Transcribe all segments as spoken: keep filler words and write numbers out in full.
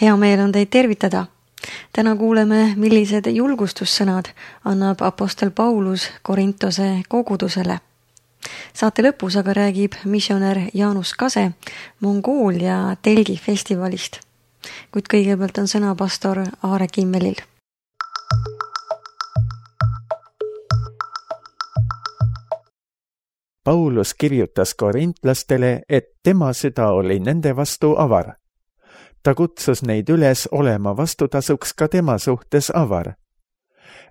Hea meel on teid tervitada. Täna kuuleme, millised julgustussõnad annab apostel Paulus Korintose kogudusele. Saate lõpus aga räägib missionär Jaanus Kase Mongoolia telgi festivalist. Kuid kõigepealt on sõna pastor Aare Kimmelil. Paulus kirjutas korintlastele, et tema süda oli nende vastu avar. Ta kutsus neid üles olema vastutasuks ka tema suhtes avar.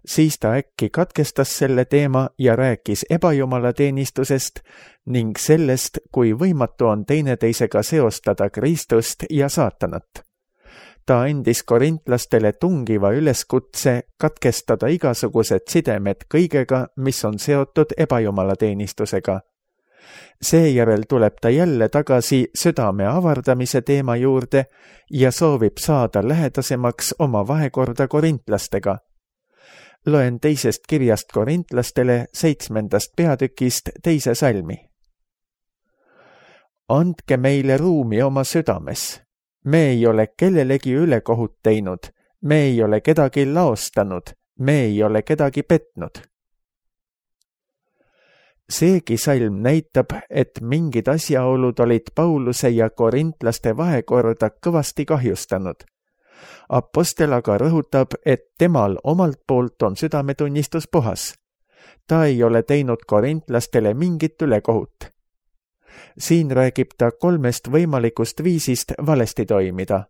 Siis ta äkki katkestas selle teema ja rääkis ebajumalateenistusest ning sellest, kui võimatu on teineteisega seostada Kristust ja saatanat. Ta andis korintlastele tungiva üleskutse katkestada igasugused sidemed kõigega, mis on seotud ebajumalateenistusega. Seejärel tuleb ta jälle tagasi südame avardamise teema juurde ja soovib saada lähedasemaks oma vahekorda korintlastega. Loen teisest kirjast korintlastele seitsmendast peatükist teise salmi. Andke meile ruumi oma südames. Me ei ole kellelegi ülekohut teinud, me ei ole kedagi laostanud, me ei ole kedagi petnud. Seegi salm näitab, et mingid asjaolud olid Pauluse ja korintlaste vahekorda kõvasti kahjustanud. Apostel aga rõhutab, et temal omalt poolt on südametunnistus puhas. Ta ei ole teinud korintlastele mingit ülekohut. Siin räägib ta kolmest võimalikust viisist valesti toimida.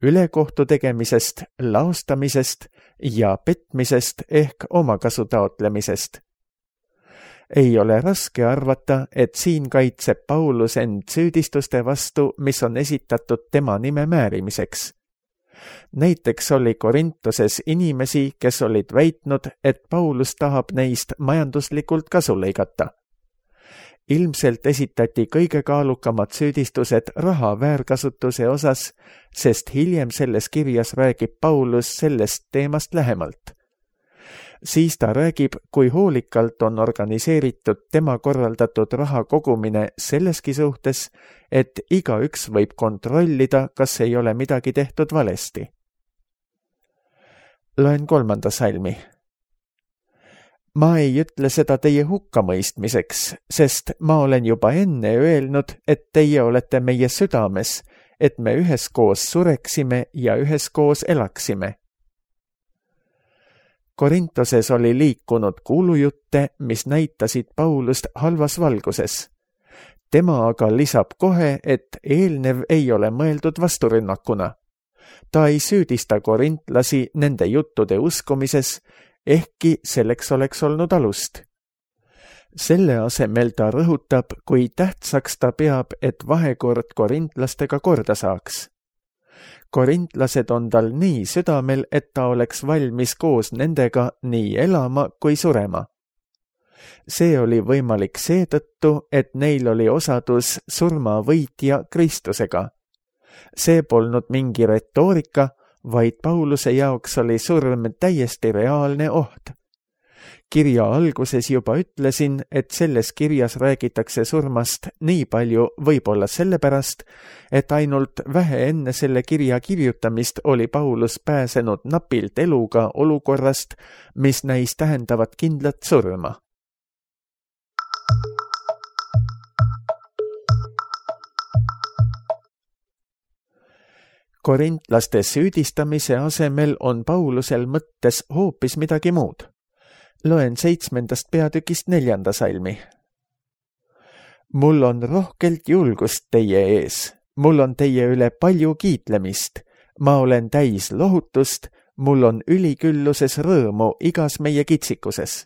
Ülekohtu tegemisest, laostamisest ja petmisest ehk omakasu taotlemisest. Ei ole raske arvata, et siin kaitseb Paulus end süüdistuste vastu, mis on esitatud tema nime määrimiseks. Näiteks oli Korintoses inimesi, kes olid väitnud, et Paulus tahab neist majanduslikult kasu lõigata. Ilmselt esitati kõige kaalukamad süüdistused raha väärkasutuse osas, sest hiljem selles kirjas räägib Paulus sellest teemast lähemalt. Siis ta räägib, kui hoolikalt on organiseeritud tema korraldatud raha kogumine selleski suhtes, et igaüks võib kontrollida, kas ei ole midagi tehtud valesti. Loen kolmanda salmi. Ma ei ütle seda teie hukkamõistmiseks, sest ma olen juba enne öelnud, et teie olete meie südames, et me üheskoos sureksime ja üheskoos elaksime. Korintoses oli liikunud kuulujutte, mis näitasid Paulust halvas valguses. Tema aga lisab kohe, et eelnev ei ole mõeldud vasturünnakuna. Ta ei süüdista korintlasi nende juttude uskumises, ehkki selleks oleks olnud alust. Selle asemel ta rõhutab, kui tähtsaks ta peab, et vahekord korintlastega korda saaks. Korintlased on tal nii südamel, et ta oleks valmis koos nendega nii elama kui surema. See oli võimalik seetõttu, et neil oli osadus surmavõitja Kristusega. See polnud mingi retoorika, vaid Pauluse jaoks oli surm täiesti reaalne oht. Kirja alguses juba ütlesin, et selles kirjas räägitakse surmast nii palju võib-olla sellepärast, et ainult vähe enne selle kirja kirjutamist oli Paulus pääsenud napilt eluga olukorrast, mis näis tähendavat kindlat surma. Korintlaste süüdistamise asemel on Paulusel mõttes hoopis midagi muud. Loen seitsmendast peatükist neljanda salmi. Mul on rohkelt julgust teie ees, mul on teie üle palju kiitlemist, ma olen täis lohutust, mul on ülikülluses rõõmu igas meie kitsikuses.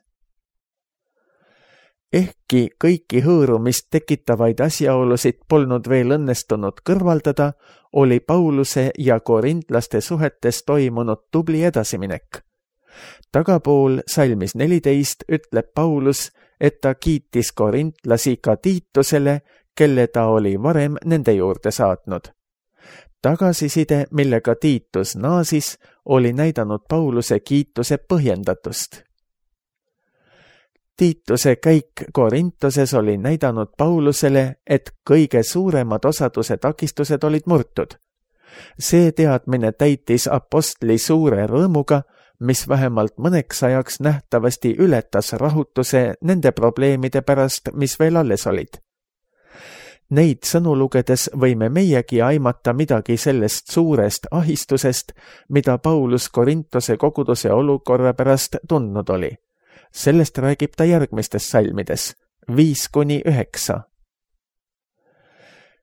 Ehkki kõiki hõõrumist tekitavaid asjaolusid polnud veel õnnestunud kõrvaldada, oli Pauluse ja korintlaste suhetes toimunud tubli edasiminek. Tagapool salmis neliteist ütleb Paulus, et ta kiitis korintlasi ka Tiitusele, kelle ta oli varem nende juurde saatnud. Tagasiside, millega Tiitus naasis, oli näidanud Pauluse kiituse põhjendatust. Tiituse käik Korintoses oli näidanud Paulusele, et kõige suuremad osaduse takistused olid murtud. see teadmine täitis apostli suure rõõmuga, mis vähemalt mõneks ajaks nähtavasti ületas rahutuse nende probleemide pärast, mis veel alles olid. Neid sõnu lugedes võime meiegi aimata midagi sellest suurest ahistusest, mida Paulus Korintose koguduse olukorra pärast tundnud oli. Sellest räägib ta järgmistes salmides, viis kuni üheksa.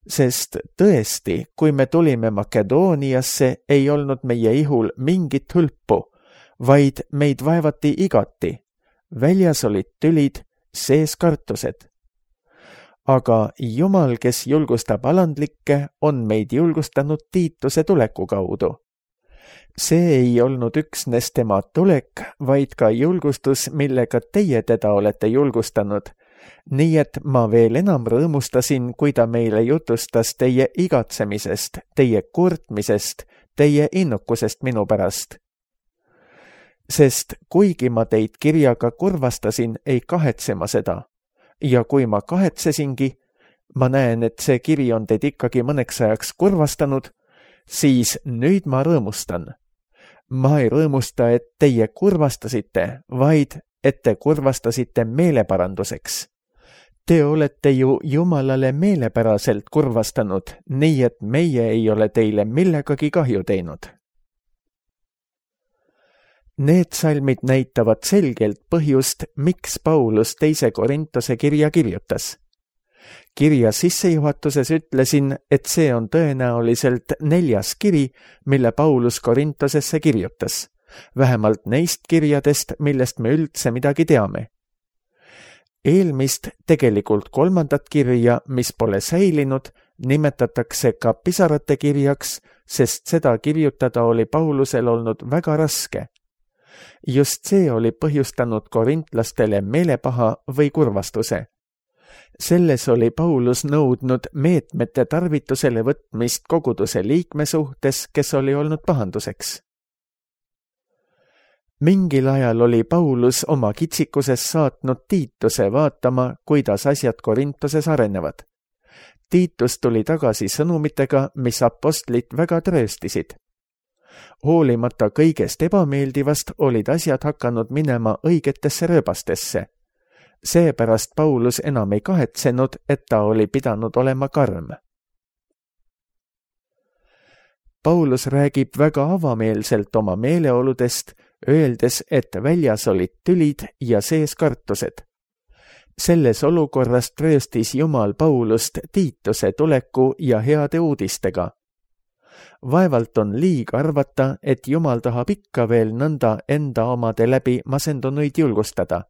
Sest tõesti, kui me tulime Makedooniasse, ei olnud meie ihul mingit hõlpu, vaid meid vaevati igati. Väljas olid tülid, sees kartused. Aga Jumal, kes julgustab alandlikke, on meid julgustanud Tiituse tuleku kaudu. See ei olnud üksnes tema tulek, vaid ka julgustus, millega teie teda olete julgustanud. Nii et ma veel enam rõõmustasin, kui ta meile jutustas teie igatsemisest, teie kurtmisest, teie innukusest minu pärast. Sest kuigi ma teid kirjaga kurvastasin, ei kahetse ma seda. Ja kui ma kahetsesingi, ma näen, et see kiri on teid ikkagi mõneks ajaks kurvastanud, siis nüüd ma rõõmustan. Ma ei rõõmusta, et teie kurvastasite, vaid et te kurvastasite meeleparanduseks. Te olete ju Jumalale meelepäraselt kurvastanud, nii et meie ei ole teile millegagi kahju teinud. Need salmid näitavad selgelt põhjust, miks Paulus teise Korintose kirja kirjutas. Kirja sissejuhatuses ütlesin, et see on tõenäoliselt neljas kiri, mille Paulus Korintosesse kirjutas, vähemalt neist kirjadest, millest me üldse midagi teame. Eelmist, tegelikult kolmandat kirja, mis pole säilinud, nimetatakse ka pisarate kirjaks, sest seda kirjutada oli Paulusel olnud väga raske. Just see oli põhjustanud korintlastele meelepaha või kurvastuse. Selles oli Paulus nõudnud meetmete tarvitusele võtmist koguduse liikme suhtes, kes oli olnud pahanduseks. Mingil ajal oli Paulus oma kitsikuses saatnud Tiituse vaatama, kuidas asjad Korintoses arenevad. Tiitus tuli tagasi sõnumitega, mis apostlit väga trööstisid. Hoolimata kõigest ebameeldivast olid asjad hakanud minema õigetesse rööbastesse. Seepärast Paulus enam ei kahetsenud, et ta oli pidanud olema karm. Paulus räägib väga avameelselt oma meeleoludest, öeldes, et väljas olid tülid ja sees kartused. Selles olukorras trööstis Jumal Paulust Tiituse tuleku ja heade uudistega. Vaevalt on liig arvata, et Jumal tahab ikka veel nõnda enda omade läbi masendunuid julgustada.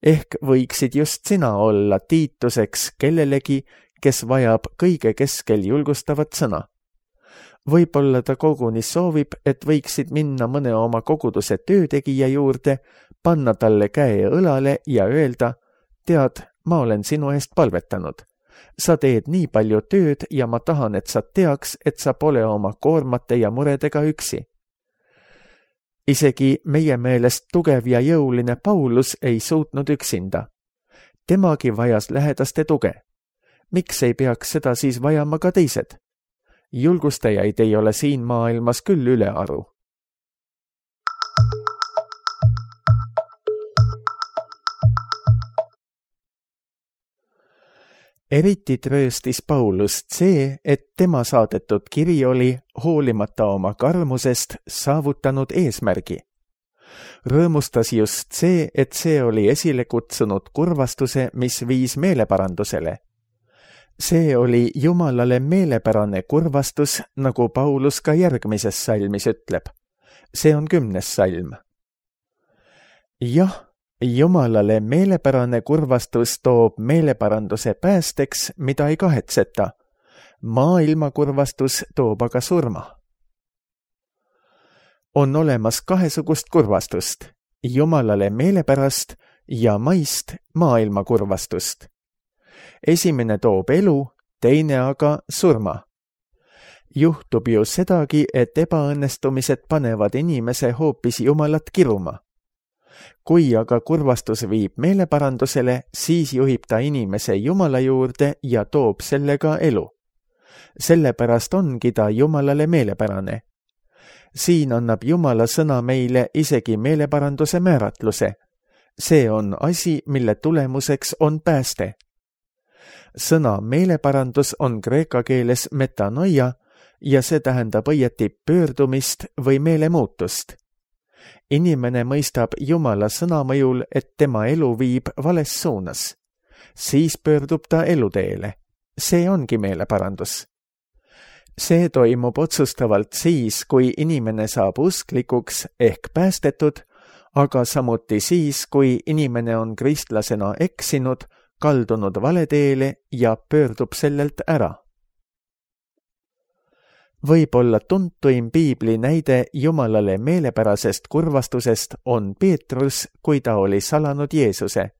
Ehk võiksid just sina olla Tiituseks kellelegi, kes vajab kõige keskel julgustavat sõna. Võib-olla ta koguni soovib, et võiksid minna mõne oma koguduse töötegija juurde, panna talle käe õlale ja öelda, tead, ma olen sinu eest palvetanud. Sa teed nii palju tööd ja ma tahan, et sa teaks, et sa pole oma koormate ja muredega üksi. Isegi meie meelest tugev ja jõuline Paulus ei suutnud üksinda. Temagi vajas lähedaste tuge. Miks ei peaks seda siis vajama ka teised? Julgustajaid ei ole siin maailmas küll ülearu. Eriti trööstis Paulust see, et tema saadetud kiri oli, hoolimata oma karmusest, saavutanud eesmärgi. Rõõmustas just see, et see oli esile kutsunud kurvastuse, mis viis meeleparandusele. See oli Jumalale meelepärane kurvastus, nagu Paulus ka järgmises salmis ütleb. See on kümnes salm. Jah, Jumalale meelepärane kurvastus toob meeleparanduse päästeks, mida ei kahetseta. Maailma kurvastus toob aga surma. On olemas kahesugust kurvastust, Jumalale meelepärast ja maist maailma kurvastust. Esimene toob elu, teine aga surma. Juhtub ju sedagi, et ebaõnnestumised panevad inimese hoopis Jumalat kiruma. Kui aga kurvastus viib meeleparandusele, siis juhib ta inimese Jumala juurde ja toob sellega elu. sellepärast ongi ta Jumalale meelepärane. siin annab Jumala sõna meile isegi meeleparanduse määratluse. see on asi, mille tulemuseks on pääste. sõna meeleparandus on kreeka keeles metanoia ja see tähendab õieti pöördumist või meelemuutust. inimene mõistab Jumala sõna mõjul, et tema elu viib vales suunas. siis pöördub ta eluteele. see ongi meeleparandus. see toimub otsustavalt siis, kui inimene saab usklikuks ehk päästetud, aga samuti siis, kui inimene on kristlasena eksinud, kaldunud valeteele ja pöördub sellelt ära. Võib-olla tuntuim piibli näide Jumalale meelepärasest kurvastusest on Peetrus, kui ta oli salanud Jeesuse.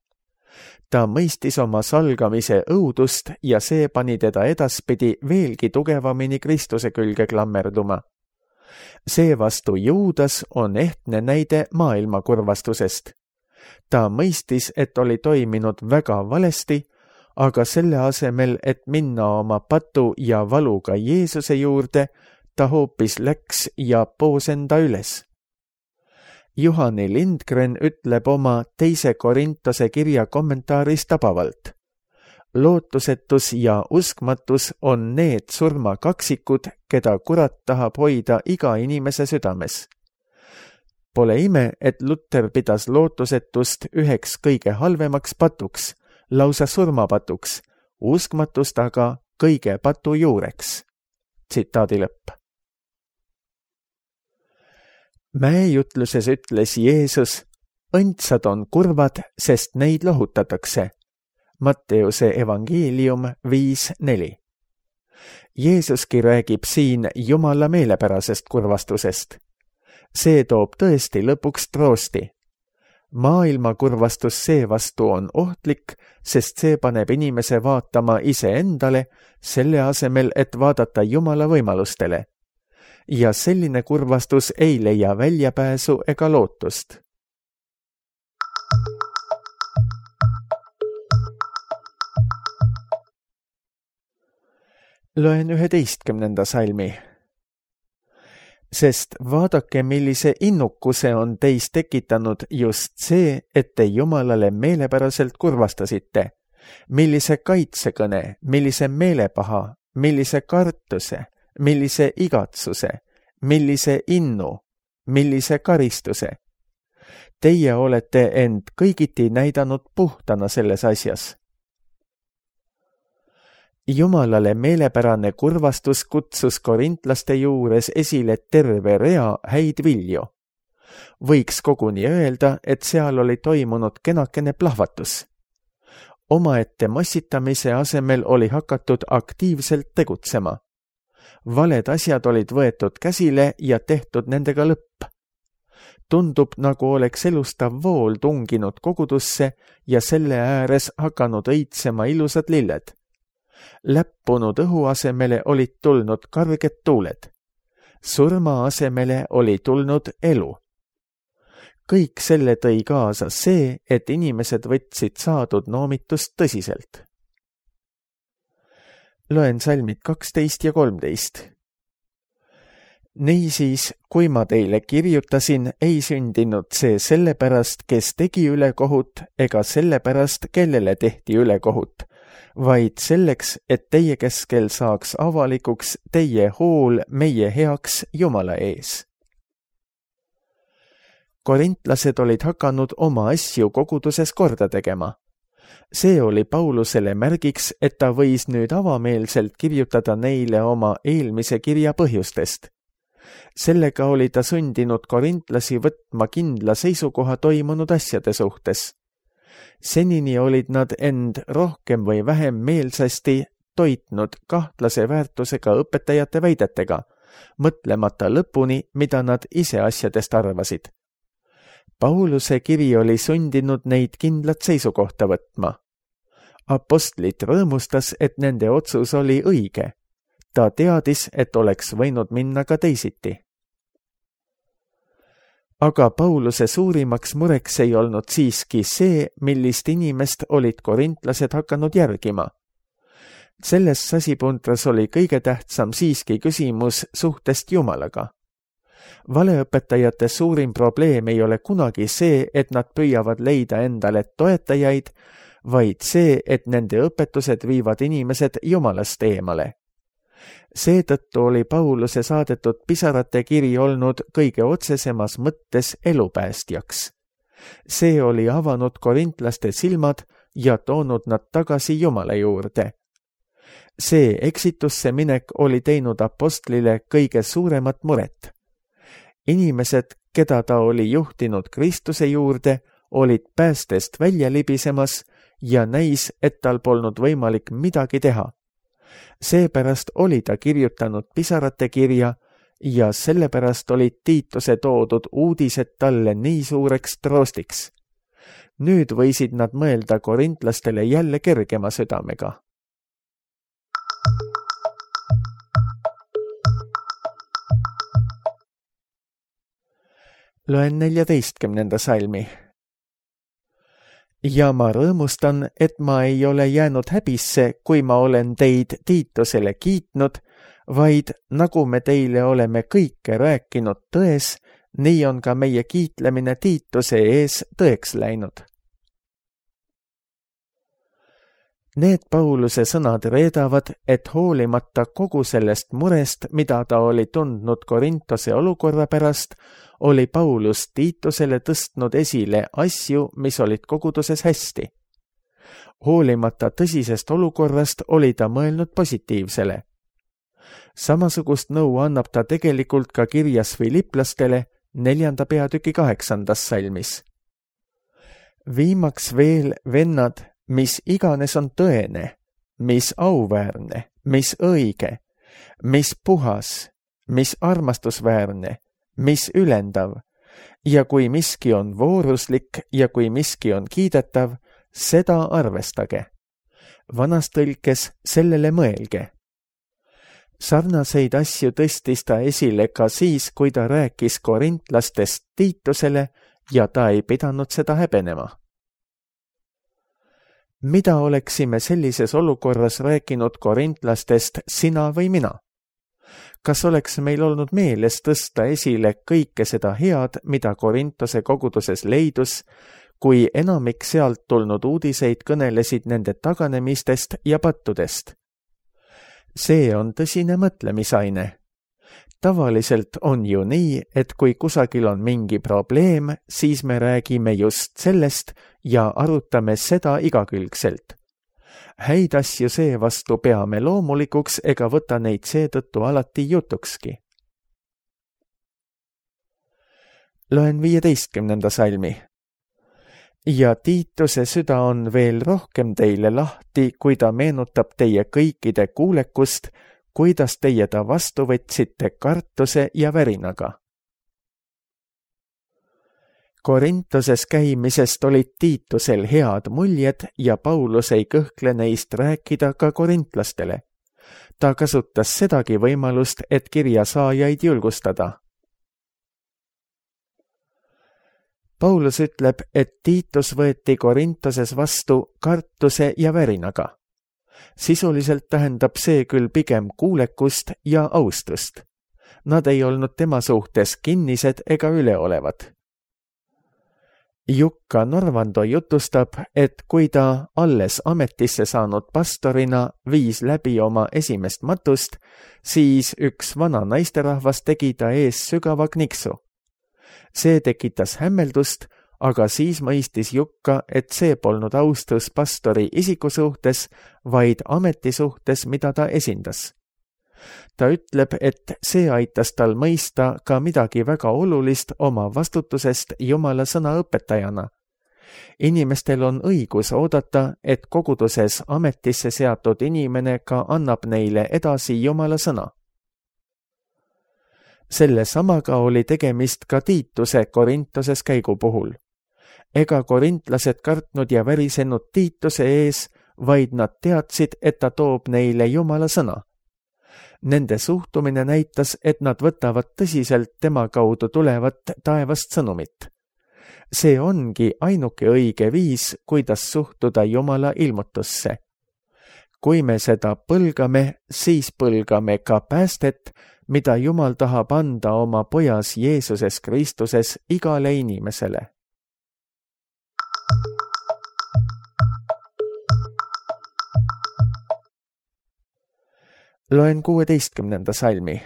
ta mõistis oma salgamise õudust ja see pani teda edaspidi veelgi tugevamini Kristuse külge klammerduma. seevastu Juudas on ehtne näide maailma kurvastusest. ta mõistis, et oli toiminud väga valesti, aga selle asemel, et minna oma patu ja valuga Jeesuse juurde, ta hoopis läks ja poos enda üles. Juhani Lindgren ütleb oma teise Korintose kirja kommentaaris tabavalt. lootusetus ja uskmatus on need surmakaksikud, keda kurat tahab hoida iga inimese südames. Pole ime, et Luther pidas lootusetust üheks kõige halvemaks patuks, lausa surmapatuks, uskmatust aga kõige patu juureks. Tsitaadi lõpp. Mäejutluses ütles Jeesus, õndsad on kurvad, sest neid lohutatakse. Matteuse evangeelium viis neli. Jeesuski räägib siin Jumala meelepärasest kurvastusest. See toob tõesti lõpuks troosti. Maailma kurvastus seevastu on ohtlik, sest see paneb inimese vaatama iseendale, selle asemel, et vaadata Jumala võimalustele. Ja selline kurvastus ei leia väljapääsu ega lootust. Loen üheteistkümnenda salmi. Sest vaadake, millise innukuse on teis tekitanud just see, et te Jumalale meelepäraselt kurvastasite. Millise kaitsekõne, millise meelepaha, millise kartuse, millise igatsuse, millise innu, millise karistuse. Teie olete end kõigiti näidanud puhtana selles asjas. Jumalale meelepärane kurvastus kutsus korintlaste juures esile terve rea häid vilju. Võiks koguni öelda, et seal oli toimunud kenakene plahvatus. Omaette massitamise asemel oli hakatud aktiivselt tegutsema. Valed asjad olid võetud käsile ja tehtud nendega lõpp. Tundub, nagu oleks elustav vool tunginud kogudusse ja selle ääres hakanud õitsema ilusad lilled. Läppunud õhu asemele olid tulnud karged tuuled. Surma asemele oli tulnud elu. Kõik selle tõi kaasa see, et inimesed võtsid saadud noomitust tõsiselt. Loen salmid kaksteist ja kolmteist. Niisiis, kui ma teile kirjutasin, ei sündinud see sellepärast, kes tegi ülekohut, ega sellepärast, kellele tehti ülekohut, vaid selleks, et teie keskel saaks avalikuks teie hool meie heaks Jumala ees. Korintlased olid hakanud oma asju koguduses korda tegema. See oli Paulusele märgiks, et ta võis nüüd avameelselt kirjutada neile oma eelmise kirja põhjustest. Sellega oli ta sundinud korintlasi võtma kindla seisukoha toimunud asjade suhtes. Senini olid nad end rohkem või vähem meelsasti toitnud kahtlase väärtusega õpetajate väidetega, mõtlemata lõpuni, mida nad ise asjadest arvasid. Pauluse kiri oli sundinud neid kindlat seisukohta võtma. Apostlit rõõmustas, et nende otsus oli õige. Ta teadis, et oleks võinud minna ka teisiti. Aga Pauluse suurimaks mureks ei olnud siiski see, millist inimest olid korintlased hakanud järgima. selles sasipuntras oli kõige tähtsam siiski küsimus suhtest Jumalaga. Valeõpetajate suurim probleem ei ole kunagi see, et nad püüavad leida endale toetajaid, vaid see, et nende õpetused viivad inimesed Jumalast eemale. Seetõttu oli Pauluse saadetud pisarate kiri olnud kõige otsesemas mõttes elupäästjaks. See oli avanud korintlaste silmad ja toonud nad tagasi Jumala juurde. See eksitusse minek oli teinud apostlile kõige suuremat muret. Inimesed, keda ta oli juhtinud Kristuse juurde, olid päästest välja libisemas ja näis, et tal polnud võimalik midagi teha. Seepärast oli ta kirjutanud pisarate kirja ja sellepärast olid Tiituse toodud uudised talle nii suureks troostiks. Nüüd võisid nad mõelda korintlastele jälle kergema südamega. Loen neljateistkümnenda salmi. Ja ma rõõmustan, et ma ei ole jäänud häbisse, kui ma olen teid Tiitusele kiitnud, vaid nagu me teile oleme kõike rääkinud tões, nii on ka meie kiitlemine Tiituse ees tõeks läinud. Need Pauluse sõnad reedavad, et hoolimata kogu sellest murest, mida ta oli tundnud Korintose olukorra pärast, oli Paulus Tiitusele tõstnud esile asju, mis olid koguduses hästi. Hoolimata tõsisest olukorrast oli ta mõelnud positiivsele. Samasugust nõu annab ta tegelikult ka kirjas filiplastele neljanda peatüki kaheksandas salmis. Viimaks veel, vennad, mis iganes on tõene, mis auväärne, mis õige, mis puhas, mis armastusväärne, mis ülendav, ja kui miski on vooruslik ja kui miski on kiidetav, seda arvestage. Vanas tõlkes sellele mõelge. Sarnaseid asju tõstis ta esile ka siis, kui ta rääkis korintlastest Tiitusele ja ta ei pidanud seda häbenema. Mida oleksime sellises olukorras rääkinud korintlastest sina või mina? Kas oleks meil olnud meeles tõsta esile kõike seda head, mida Korintose koguduses leidus, kui enamik sealt tulnud uudiseid kõnelesid nende taganemistest ja pattudest? See on tõsine mõtlemisaine. Tavaliselt on ju nii, et kui kusagil on mingi probleem, siis me räägime just sellest ja arutame seda igakülgselt. Häid asju seevastu peame loomulikuks ega võta neid seetõttu alati jutukski. Loen viieteistkümnenda salmi. Ja Tiituse süda on veel rohkem teile lahti, kui ta meenutab teie kõikide kuulekust, kuidas teie ta vastu võtsite kartuse ja värinaga. Korintoses käimisest olid Tiitusel head muljed ja Paulus ei kõhkle neist rääkida ka korintlastele. Ta kasutas sedagi võimalust, et kirja saajaid julgustada. Paulus ütleb, et Tiitus võeti Korintoses vastu kartuse ja värinaga. Sisuliselt tähendab see küll pigem kuulekust ja austust. Nad ei olnud tema suhtes kinnised ega üleolevad. Jukka Norvando jutustab, et kui ta alles ametisse saanud pastorina viis läbi oma esimest matust, siis üks vana naisterahvas tegi ta ees sügava kniksu. See tekitas hämmeldust, aga siis mõistis Jukka, et see polnud austus pastori isiku suhtes, vaid ameti suhtes, mida ta esindas. Ta ütleb, et see aitas tal mõista ka midagi väga olulist oma vastutusest Jumala sõna õpetajana. Inimestel on õigus oodata, et koguduses ametisse seatud inimene ka annab neile edasi Jumala sõna. Selle samaga oli tegemist ka Tiituse Korintoses käigu puhul. Ega korintlased kartnud ja värisenud Tiituse ees, vaid nad teadsid, et ta toob neile Jumala sõna. Nende suhtumine näitas, et nad võtavad tõsiselt tema kaudu tulevat taevast sõnumit. See ongi ainuke õige viis, kuidas suhtuda Jumala ilmutusse. kui me seda põlgame, siis põlgame ka päästet, mida Jumal tahab anda oma pojas Jeesuses Kristuses igale inimesele. Loen kuueteistkümnenda salmi.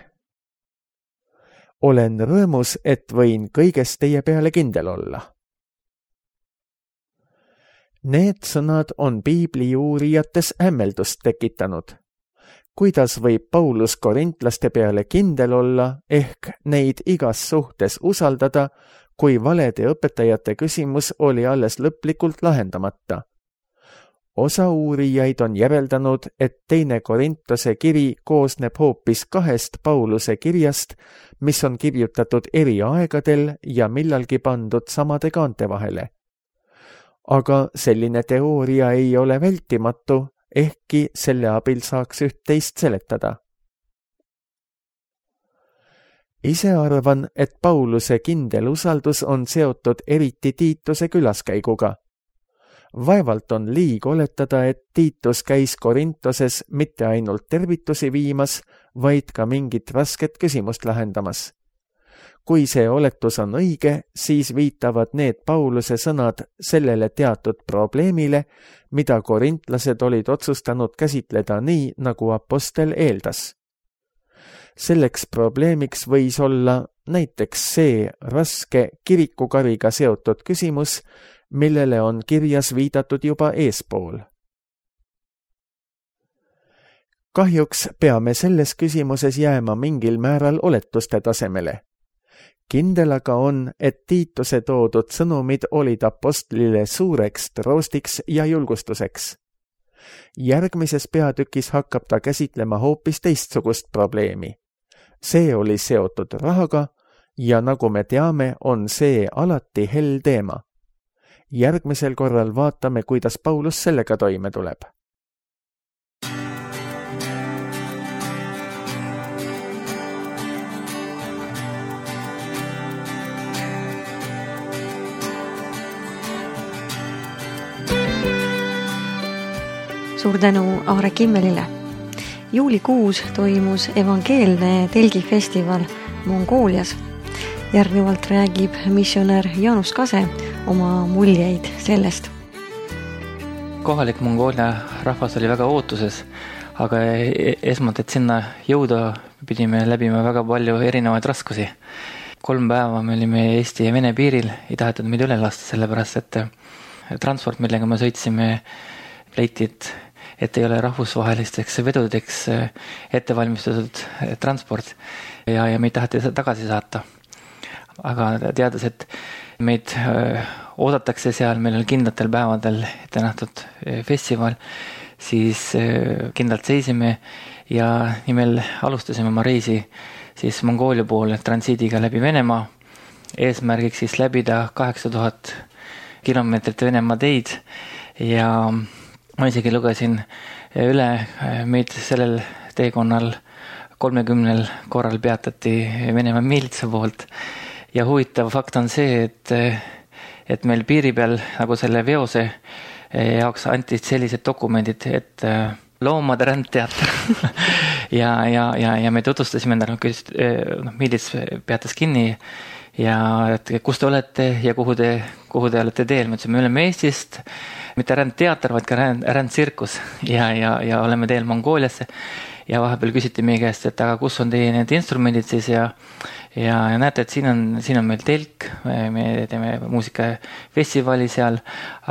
Olen rõõmus, et võin kõigest teie peale kindel olla. Need sõnad on piibli uurijates hämmeldust tekitanud. Kuidas võib Paulus korintlaste peale kindel olla, ehk neid igas suhtes usaldada, kui valede õpetajate küsimus oli alles lõplikult lahendamata? Osa uurijaid on järeldanud, et teine Korintose kiri koosneb hoopis kahest Pauluse kirjast, mis on kirjutatud eri aegadel ja millalgi pandud samade kaante vahele. Aga selline teooria ei ole vältimatu, ehkki selle abil saaks üht-teist seletada. Ise arvan, et Pauluse kindel usaldus on seotud eriti Tiituse külaskäiguga. Vaevalt on liig oletada, et Tiitus käis Korintoses mitte ainult tervitusi viimas, vaid ka mingit rasket küsimust lahendamas. Kui see oletus on õige, siis viitavad need Pauluse sõnad sellele teatud probleemile, mida korintlased olid otsustanud käsitleda nii, nagu apostel eeldas. Selleks probleemiks võis olla näiteks see raske kirikukariga seotud küsimus, millele on kirjas viidatud juba eespool. Kahjuks peame selles küsimuses jääma mingil määral oletuste tasemele. Kindel aga on, et Tiituse toodud sõnumid olid apostlile suureks troostiks ja julgustuseks. Järgmises peatükis hakkab ta käsitlema hoopis teistsugust probleemi. See oli seotud rahaga ja nagu me teame, on see alati hell teema. Järgmisel korral vaatame, kuidas Paulus sellega toime tuleb. Suur tänu Aare Kimmelile. Juulikuus toimus evangeelne telgifestival Mongoolias. Järgnevalt räägib missionär Jaanus Kase oma muljeid sellest. Kohalik Mongoolia rahvas oli väga ootuses, aga esmalt, et sinna jõuda, pidime läbima väga palju erinevaid raskusi. Kolm päeva me olime Eesti ja Vene piiril, ei tahetud meid üle lasta, sellepärast et transport, millega me sõitsime, leiti, et, et ei ole rahvusvahelisteks vedudeks ettevalmistatud transport ja, ja meid taheti tagasi saata. Aga teades, et meid oodatakse seal, meil on kindlatel päevadel ette nähtud festival, siis kindlalt seisime ja nimel alustasime oma reisi siis Mongoolia poole transiidiga läbi Venemaa. Eesmärgiks siis läbida kaheksa tuhat kilomeetrit Venemaa teid ja ma isegi lugesin üle, meid sellel teekonnal kolmekümnel korral peatati Venemaa miilitsa poolt. Ja huvitav fakt on see, et, et meil piiri peal nagu selle veose jaoks anti sellised dokumendid, et loomade rändteater ja, ja, ja, ja me tutvustasime endale, no, miilits peatas kinni ja et kus te olete ja kuhu te, kuhu te olete teel. Me ütlesime, me oleme Eestist, mitte rändteater, vaid ka ränd, rändtsirkus ja, ja, ja oleme teel Mongooliasse. Ja vahepeal küsiti meie käest, et aga kus on teie need instrumendid siis ja, ja, ja näete, et siin on, siin on meil telk, me teeme muusikafestivali seal,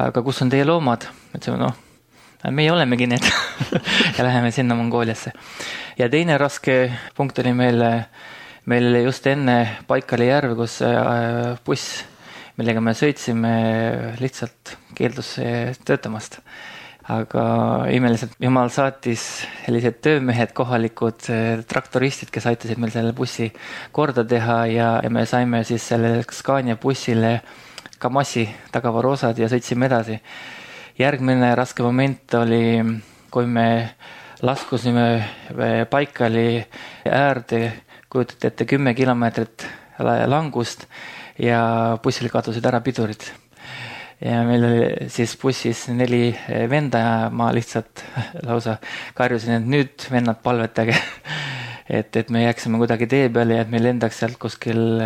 aga kus on teie loomad? Ütlesime, noh, meie olemegi need ja läheme sinna Mongooliasse. Ja teine raske punkt oli meil, meil just enne Baikali järve, kus buss, millega me sõitsime, lihtsalt keeldus töötamast. Aga imeliselt Jumal saatis sellised töömehed, kohalikud traktoristid, kes aitasid meil selle bussi korda teha ja, ja me saime siis selle Scania bussile Kamasi tagavarosad ja sõitsime edasi. Järgmine raske moment oli, kui me laskusime Baikali äärde, kujutate ette kümme kilomeetrit langust ja bussil kadusid ära pidurid. ja meil oli siis bussis neli venda ja ma lihtsalt lausa karjusin, et nüüd vennad palvetage, et, et me jääksime kuidagi tee peale ja et me lendaks sealt kuskil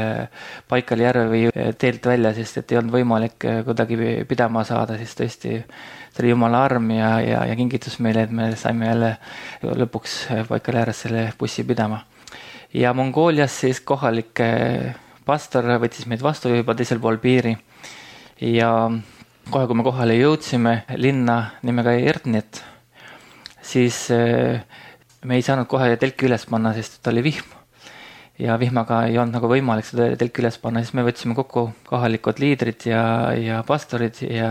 Baikali järve või teelt välja, sest et ei olnud võimalik kuidagi pidama saada, siis tõesti see oli Jumala arm ja, ja, ja kingitus meile, et me saime jälle lõpuks Baikali ääres selle bussi pidama. Ja Mongoolias siis kohalik pastor võttis meid vastu juba teisel pool piiri. Ja kohe, kui me kohale jõudsime linna nimega Erdnet, siis me ei saanud kohe telki üles panna, sest ta oli vihm. Ja vihmaga ei olnud nagu võimalik seda telki üles panna, siis me võtsime kokku kohalikud liidrid ja, ja pastorid ja,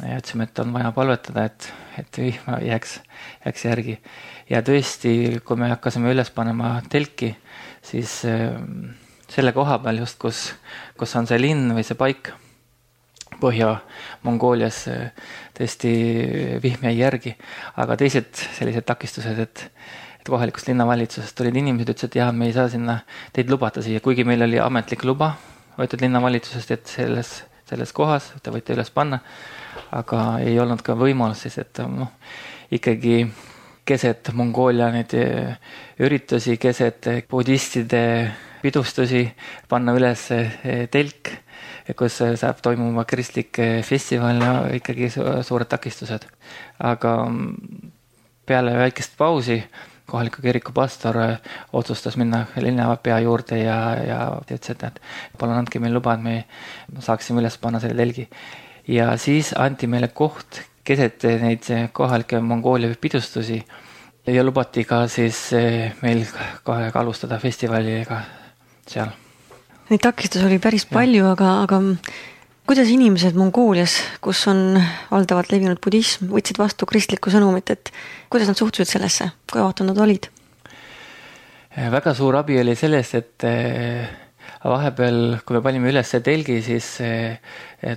ja ütlesime, et on vaja palvetada, et, et vihma jääks, jääks järgi. Ja tõesti, kui me hakkasime üles panema telki, siis selle koha peal just, kus, kus on see linn või see paik, Põhja-Mongoolias tõesti vihm jäi järgi, aga teised sellised takistused, et, et kohalikust linnavalitsusest tulid inimesed, ütlesid, et jah, me ei saa sinna teid lubata siia, kuigi meil oli ametlik luba võetud linnavalitsusest, et selles, selles kohas te võite üles panna, aga ei olnud ka võimalus siis, et noh, ikkagi keset Mongoolia neid üritusi, keset budistide pidustusi panna üles telk, kus saab toimuma kristlik festival ja ikkagi suured takistused. Aga peale väikest pausi kohaliku kiriku pastor otsustas minna linnapea juurde ja, ja ütles, et palun andke meil luba, et me saaksime üles panna selle telgi. Ja siis anti meile koht keset neid kohalikke Mongoolia pidustusi ja lubati ka siis meil kohe alustada festivaliga seal. Neid takistus oli päris palju, aga, aga kuidas inimesed Mongoolias, kus on valdavalt levinud budism, võtsid vastu kristlikku sõnumit, et kuidas nad suhtusid sellesse, kui avatud nad olid? Väga suur abi oli sellest, et vahepeal, kui me panime üles telgi, siis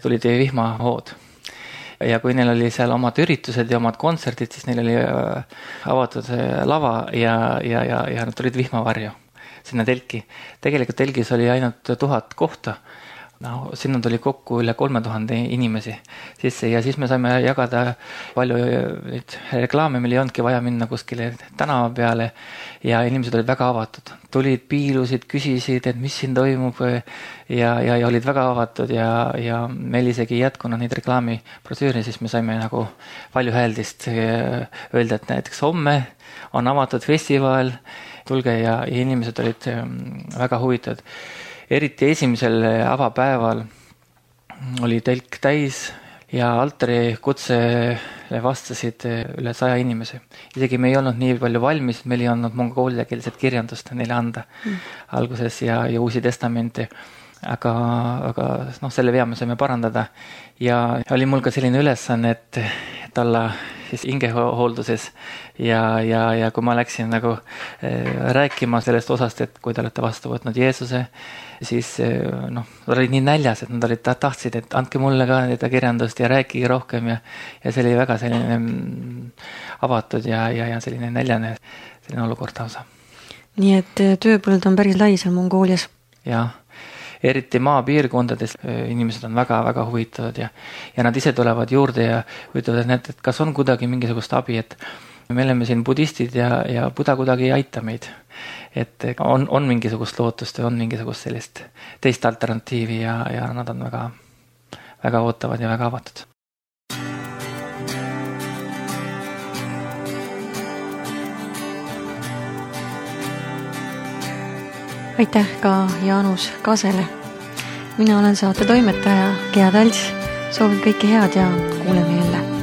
tulid vihmahood. Ja kui neil oli seal omad üritused ja omad kontserdid, siis neil oli avatud lava ja, ja, ja, ja nad tulid vihmavarju sinna telki. Tegelikult telgis oli ainult tuhat kohta. No, sinna tuli kokku üle kolme tuhande inimesi sisse ja siis me saime jagada palju reklaame, meil ei olnudki vaja minna kuskile tänava peale ja inimesed olid väga avatud. Tulid, piilusid, küsisid, et mis siin toimub ja, ja, ja olid väga avatud ja, ja meil isegi jätkunud neid reklaami brošüüri, siis me saime nagu palju häeldist öelda, et näiteks homme on avatud festival, tulge ja, ja inimesed olid väga huvitatud. Eriti esimesel avapäeval oli telk täis ja altari kutsele vastasid üle saja inimese. Isegi me ei olnud nii palju valmis, meil ei olnud mongooliakeelset kirjandust neile anda mm. alguses ja, ja uusi testamenti. Aga, aga noh, selle vea me saime parandada ja oli mul ka selline ülesanne, et, et olla siis hingehoolduses ja, ja, ja kui ma läksin nagu äh, rääkima sellest osast, et kui te olete vastu võtnud Jeesuse, siis äh, noh, nad olid nii näljas, et nad olid, tahtsid, et andke mulle ka seda kirjandust ja rääkige rohkem ja, ja see oli väga selline mm, avatud ja, ja, ja selline näljane selline olukord lausa. Nii et tööpõld on päris lai seal Mongoolias. Jah. Eriti maapiirkondades inimesed on väga-väga huvitatud ja, ja nad ise tulevad juurde ja ütlevad, et, et kas on kuidagi mingisugust abi, et me oleme siin budistid ja, ja Buda kuidagi ei aita meid. Et on, on mingisugust lootust ja on mingisugust sellist teist alternatiivi ja, ja nad on väga, väga ootavad ja väga avatud. Aitäh ka Jaanus Kasele. Mina olen saate toimetaja Gea Talts. Soovin kõike head ja kuuleme jälle.